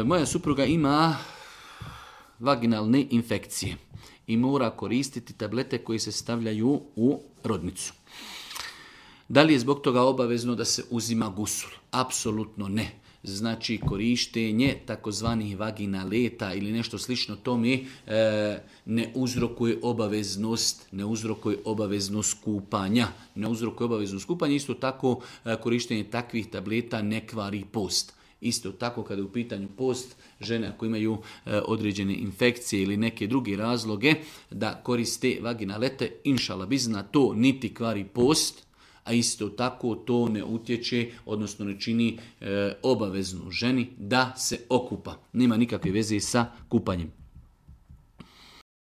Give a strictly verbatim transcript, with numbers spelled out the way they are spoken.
moja supruga ima vaginalne infekcije i mora koristiti tablete koje se stavljaju u rodnicu. Da li je zbog toga obavezno da se uzima gusul? Apsolutno ne. Znači korištenje takozvanih vaginaleta ili nešto slično tome e, ne uzrokuje obaveznost, ne uzrokuje obaveznost kupanja. Ne uzrokuje obaveznost kupanja, isto tako e, korištenje takvih tableta ne kvari post. Isto tako kada je u pitanju post, žene ako imaju e, određene infekcije ili neke druge razloge da koriste vaginalete, inšala bizna, to niti kvari post, a isto tako to ne utječe, odnosno ne čini e, obaveznu ženi da se okupa. Nema nikakve veze sa kupanjem.